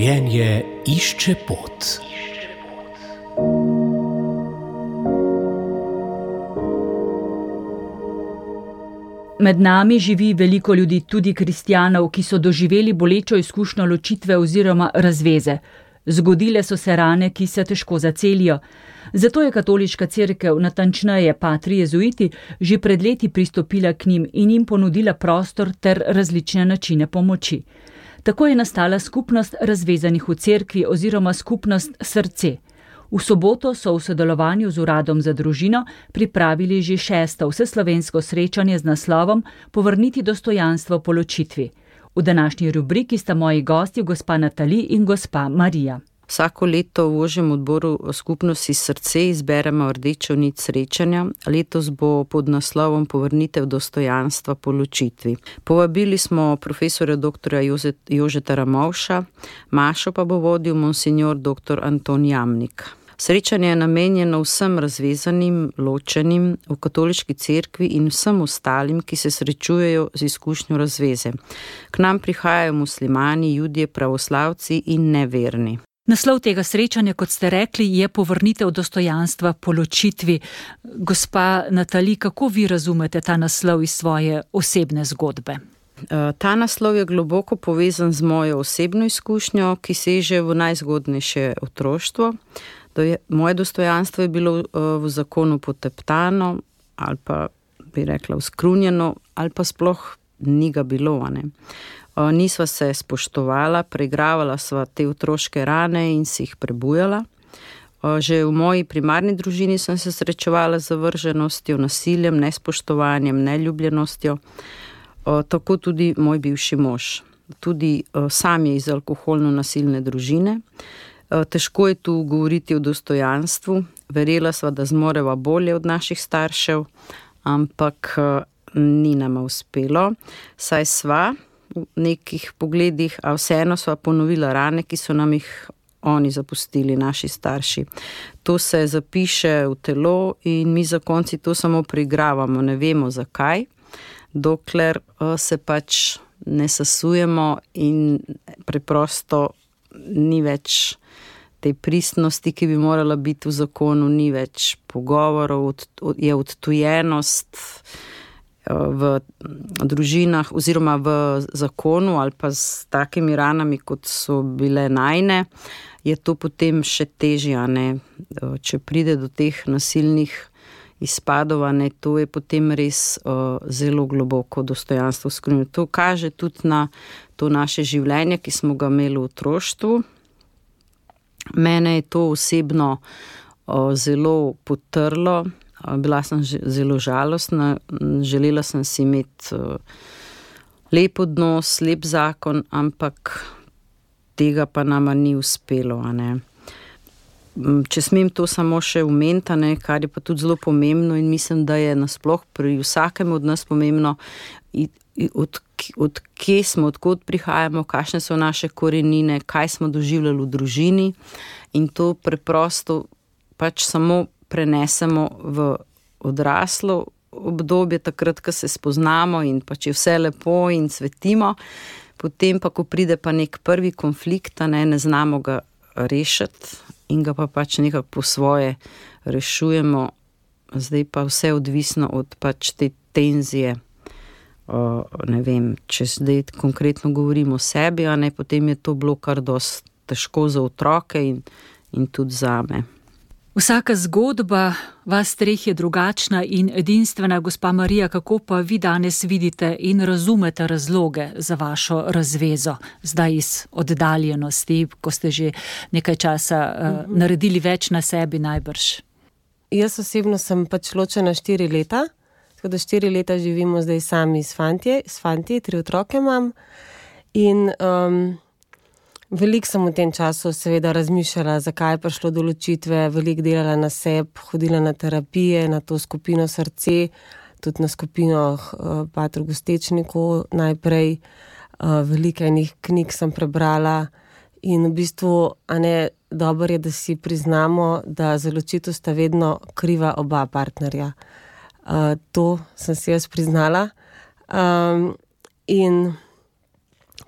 Življenje išče pot. Med nami živi veliko ljudi, tudi kristjanov, ki so doživeli bolečo izkušnjo ločitve oziroma razveze. Zgodile so se rane, ki se težko zacelijo. Zato je katoliška cerkev, natančneje patri jezuiti, že pred leti pristopila k njim in jim ponudila prostor ter različne načine pomoči. Tako je nastala skupnost razvezanih v cerkvi oziroma skupnost Srce. V soboto so v sodelovanju z Uradom za družino pripravili že 6. vseslovensko srečanje z naslovom Povrniti dostojanstvo po ločitvi. V današnji rubriki sta moji gosti gospa Natali in gospa Marija. Vsako leto v ožjem odboru skupnosti Srce izberemo rdečo nit srečanja. Letos bo pod naslovom Povrnitev dostojanstva po ločitvi. Povabili smo profesorja dr. Jožeta Ramovša, mašo pa bo vodil monsignor dr. Anton Jamnik. Srečanje je namenjeno vsem razvezanim, ločenim v katoliški cerkvi in vsem ostalim, ki se srečujejo z izkušnjo razveze. K nam prihajajo muslimani, judje, pravoslavci in neverni. Naslov tega srečanja, kot ste rekli, je Povrnitev dostojanstva po ločitvi. Gospa Natali, kako vi razumete ta naslov iz svoje osebne zgodbe? Ta naslov je globoko povezan z mojo osebno izkušnjo, ki seže v najzgodnejše otroštvo. Moje dostojanstvo je bilo v zakonu poteptano ali pa bi rekla uskrunjeno ali pa sploh ni ga bilo. Nisva se spoštovala, preigravala sva te otroške rane in si jih prebujala. Že v moji primarni družini sem se srečevala z zavrženostjo, nasiljem, nespoštovanjem, neljubljenostjo. Tako tudi moj bivši mož. Tudi sam je iz alkoholno-nasilne družine. Težko je tu govoriti o dostojanstvu. Verjela sva, da zmoreva bolje od naših staršev, ampak ni nama uspelo. Saj sva v nekih pogledih, a vseeno sva ponovila rane, ki so nam jih oni zapustili, naši starši. To se zapiše v telo in mi zakonci to samo preigravamo, ne vemo zakaj, dokler se pač ne sesujemo in preprosto ni več te pristnosti, ki bi morala biti v zakonu, ni več pogovorov, je odtujenost v družinah oziroma v zakonu ali pa s takimi ranami, kot so bile najne, je to potem še težje, ne? Če pride do teh nasilnih izpadov, ne, to je potem res zelo globoko dostojanstvo skrunjeno. To kaže tudi na to naše življenje, ki smo ga imeli v otroštvu. Mene je to osebno zelo potrlo. Bila sem zelo žalostna, želela sem si imeti lep odnos, lep zakon, ampak tega pa nama ni uspelo. Če smem to samo še omeniti, kar je pa tudi zelo pomembno in mislim, da je nasploh pri vsakem od nas pomembno, od kje smo, odkot prihajamo, kakšne so naše korenine, kaj smo doživljali v družini in to preprosto pač samo prenesemo v odraslo obdobje, takrat, ko se spoznamo in pač je vse lepo in cvetimo, potem pa, ko pride pa nek prvi konflikt, ne znamo ga rešiti in ga pa pač nekako po svoje rešujemo, zdaj pa vse odvisno od pač te tenzije. Ne vem, če zdaj konkretno govorimo o sebi, potem je to bilo kar dosti težko za otroke in tudi zame. Vsaka zgodba vas treh je drugačna in edinstvena. Gospa Marija, kako pa vi danes vidite in razumete razloge za vašo razvezo, zdaj iz oddaljenosti, ko ste že nekaj časa naredili več na sebi najbrž? Jaz osebno sem pač ločena 4 leta, tako da 4 leta živimo zdaj sami s fanti, 3 otroke imam in veliko sem v tem času seveda razmišljala, zakaj je prišlo do ločitve, veliko delala na sebi, hodila na terapije, na to skupino Srce, tudi na skupino Pater Gostečnikov najprej, veliko enih knjig sem prebrala in v bistvu, dobro je, da si priznamo, da za ločitev sta vedno kriva oba partnerja. To sem si jaz priznala in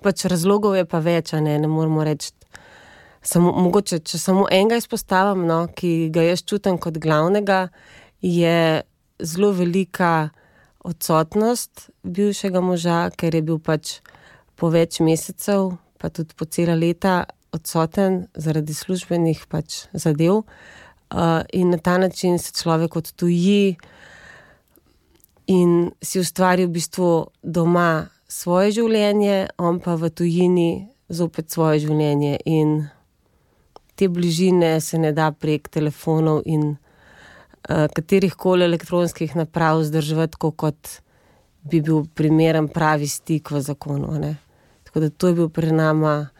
pač razlogov je pa več, ne moramo reči mogoče, če samo enega izpostavim, no, ki ga jaz čutim kot glavnega, je zelo velika odsotnost bivšega moža, ker je bil pač po več mesecev, pa tudi po cela leta odsoten zaradi službenih pač zadev. In na ta način se človek odtuji in si ustvari v bistvu doma svoje življenje, on pa v tujini zopet svoje življenje. In te bližine se ne da prek telefonov in katerihkoli elektronskih naprav vzdrževati, kot bi bil primeren pravi stik v zakonu, ne. Tako da to je bil pri nama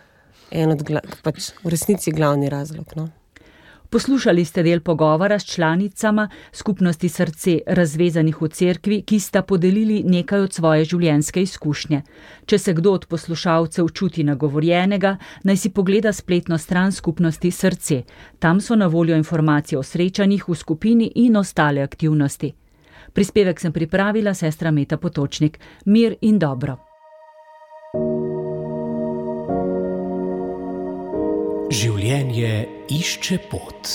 en od pač v resnici glavni razlog, no. Poslušali ste del pogovora s članicama skupnosti Srce razvezanih v cerkvi, ki sta podelili nekaj od svoje življenjske izkušnje. Če se kdo od poslušalcev čuti nagovorjenega, naj si pogleda spletno stran skupnosti Srce. Tam so na voljo informacije o srečanjih v skupini in ostale aktivnosti. Prispevek sem pripravila sestra Meta Potočnik. Mir in dobro. Življenje išče pot.